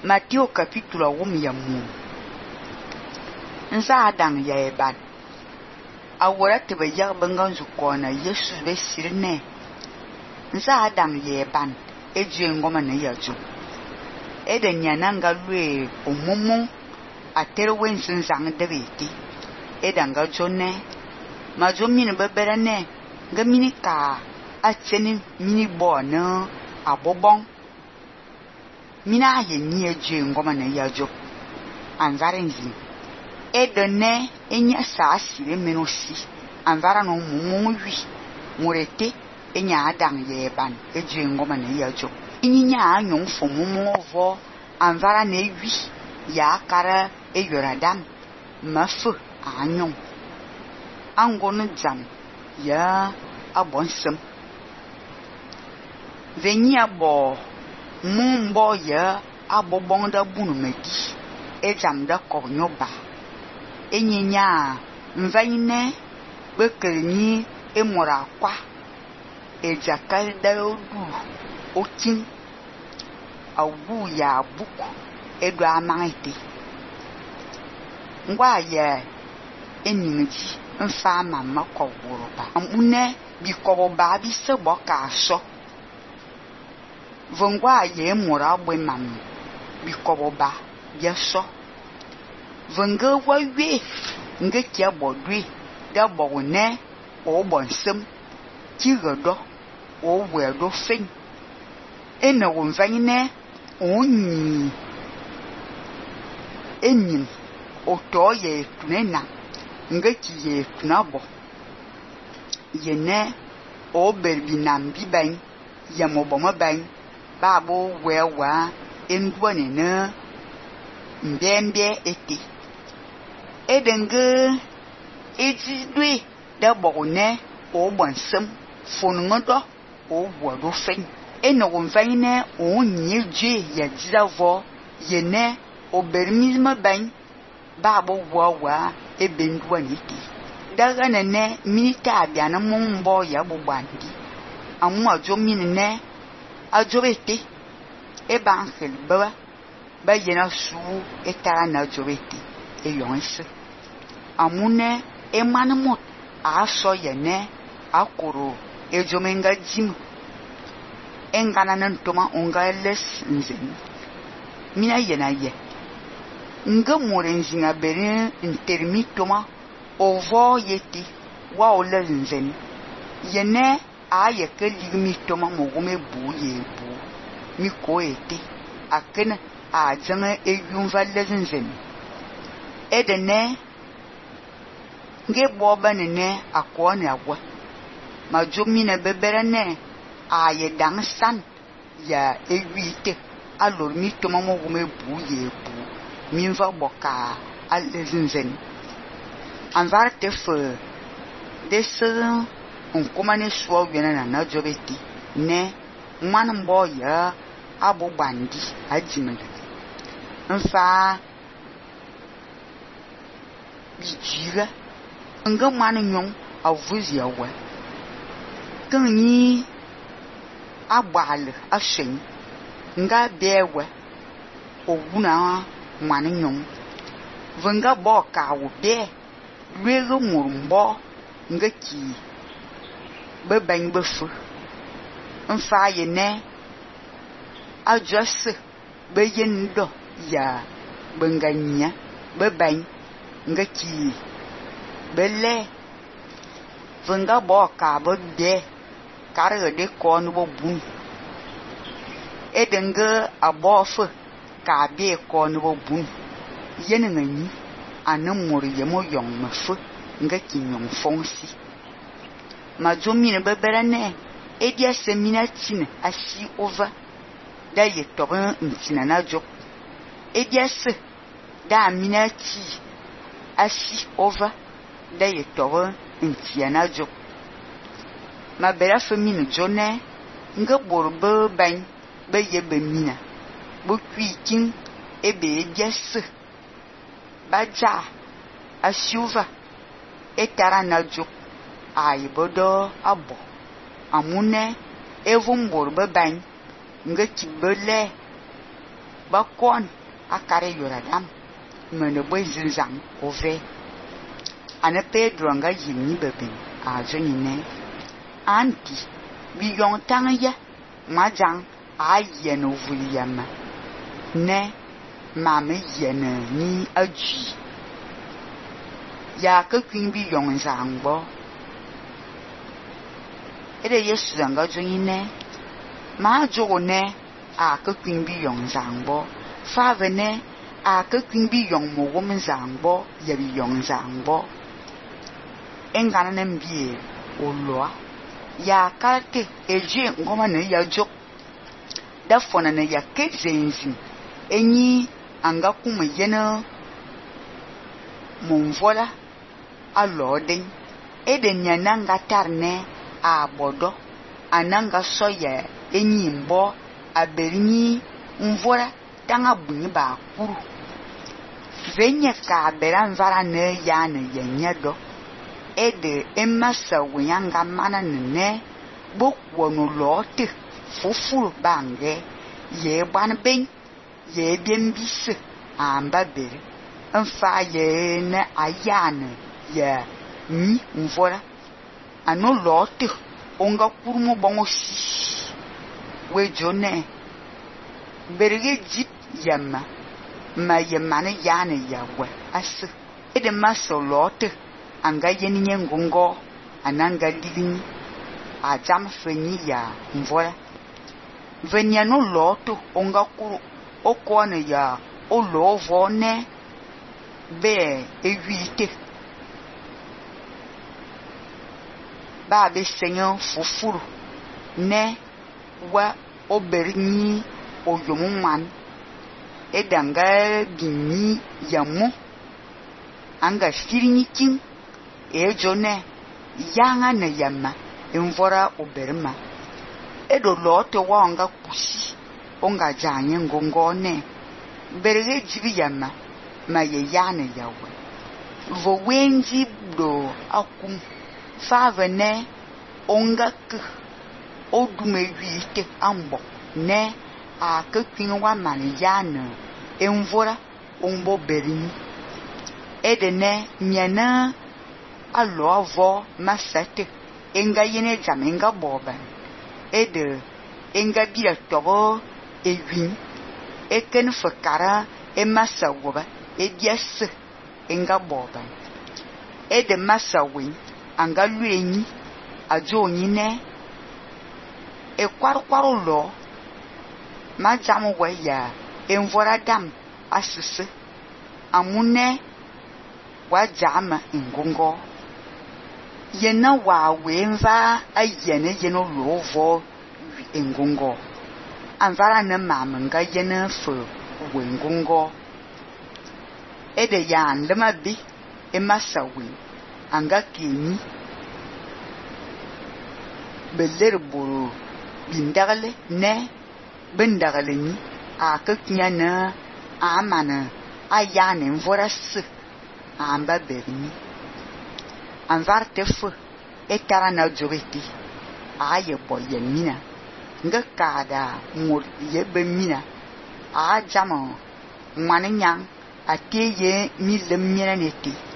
Matthieu capítulo 1 ya mu. Nza dang ya eban. Awora te be yag bengan zu kona Yesu be sirne. Nza dang ya eban eje ngoma na ya ju. Ede nyananga lwe omumu atere wensin zang de beti. Edanga jone ma jo mini bebere ne nga mini ka atseni mini bo na abobong. Mina ye ni eje ngoma na ya jo. Anzare nzi. Edene enya sa sire menosi. Anzara no mumu wi. Murete enya adang ye ban eje ngoma na ya jo. Inyinya anyong fo mumu ovo anzara ne wi ya kara eyoradam mafu anyong. Angon jam ya abonsem. Veni abo mumbo ya abobong da bunu medi. Ejam da kornyoba. Enyinya mvaine bekerni emora kwa. Ejakal da odu otin. Awu ya buku edo amangete. Ngwa ya eninji mfa mama kowuroba. Amune bi kowoba bi sebo ka so. Vongwa ye mura bwe mam bi kowoba ya so. Venga wawe nga kia bodwe da bone o bonsem kigodo o wedo fen. Ena wonvane onyi enyim otoye tunena nga kiye tunabo yene o berbi nambi ban yamobomo ban babo wewa endwane na mbembe ete edenge ejidwe da bone o bonsem fonungodo o wodo fen. Ena wonvane onyi je ya jizavo yene obermisme ban babo wawa ebendwane ete. Daga nene minita abiana mumbo ya bubandi. Amu ajo minene ajo bete. Eba angel baba. Ba yena su etara na ajo bete. Eyonse. Amune emanamot aso yene akoro ejomenga jimu. Engana nantoma onga les nzen. Mina yena ye. Nga morenzi nga beri intermitoma ovo yeti wa ole nzen. Yene aye ke ligmitoma mogume bu ye bu. Mi ko ete. Akena a janga eyunva les nzen. Edene nge boba nene akwane agwa. Ma jomine bebere ne aye dang san ya ewite alor mi toma mogume bu ye bu. Minva boka alezinzen. Anvar te fe dese onkomane suwa wena na jobeti ne manmbo ya abo bandi ajimele. Nfa bijira nga manu nyong avuzi awa. Kanyi abal ashen nga bewe oguna manu nyong. Venga bo ka wo be lwego murumbo nga ki beban befu. Nfa yene ajose beyendo ya benganya beban nga ki bele. Venga bo ka bo be kare de ko no bo bun. Edenga abofu ka be ko no bo bun. Yene ngani anamuri yemo yong mafu nga kinyong fonsi. Ma jomine bebere ne edia semina tine asi over da ye toben ntina na jo. Edia se da amina ti asi over da ye toben ntia na jo. Ma bera femine jone nga borbe ban be ye be mina bo kwikin ebe edia se baja asiuva etara na jo aibodo abo. Amune evumbor beban nga kibele ba kon akare yoradam mene boizin zang ove ane Pedro nga yini beben a zonine anti bi yong tang ya majang a yen ovuliyama ne mame yen ni aji ya ka kwin bi yong zangbo ede Yesu nga zonine ma jogo ne a ka kwin bi yong zangbo fa vene a ka kwin bi yong mo wom zangbo ya bi yong zangbo engana ne mbie oloa ya karte eje ngoma ne ya jok da fona ne ya kezenzin enyi anga kuma yena monvola aloden eden ya nanga tarne a bodo ananga soya enyi mbo aberinyi mvola tanga bunyi ba kuru venye ka beran vara ne ya ne yenya do ede emasa wenyanga mana ne bokwono lote fufuru bange ye ban ben ye biembise amba bere mfa ye ne ayane ye ni mvora ano lote onga kurumo bongo si we jone berege jip yama ma yemane yane yawe as ede maso lote anga yeninye ngongo ananga digni a jam fenyi ya mvora venya no loto onga kuru okone ya o lovo ne be evite ba be senyo fufuru ne wa oberinyi oyomuman edanga gini yamu anga firinyi king ejone yanga ne yama mvora oberma edo lote wanga kusi onga janye ngongone berege jibi yama ma ye yane yawe vo wenji do akum favene onga k odume wite ambo ne a kekin wa man yana mvora ombo berini edene nyana alo avo masate enga yene jamenga boban ede enga bia togo ewin eken fakara emasa woba edias enga boban ede masa win anga luenyi ajo nyine e kwarkwaro lo ma jamu waya envora dam asise amune wa jama ngongo yena wa wenva ayene yeno lovo ngongo anvara na mamanga yena fu wengongo ede yan lema bi emasawi anga kini beler buru bindagale ne bindagale ni akaknya na amana ayane mvoras amba berni anvar tefu etara na jogeti aye boyemina nga kada mur yebe mina a jamo maninyang ateye mi lemina neti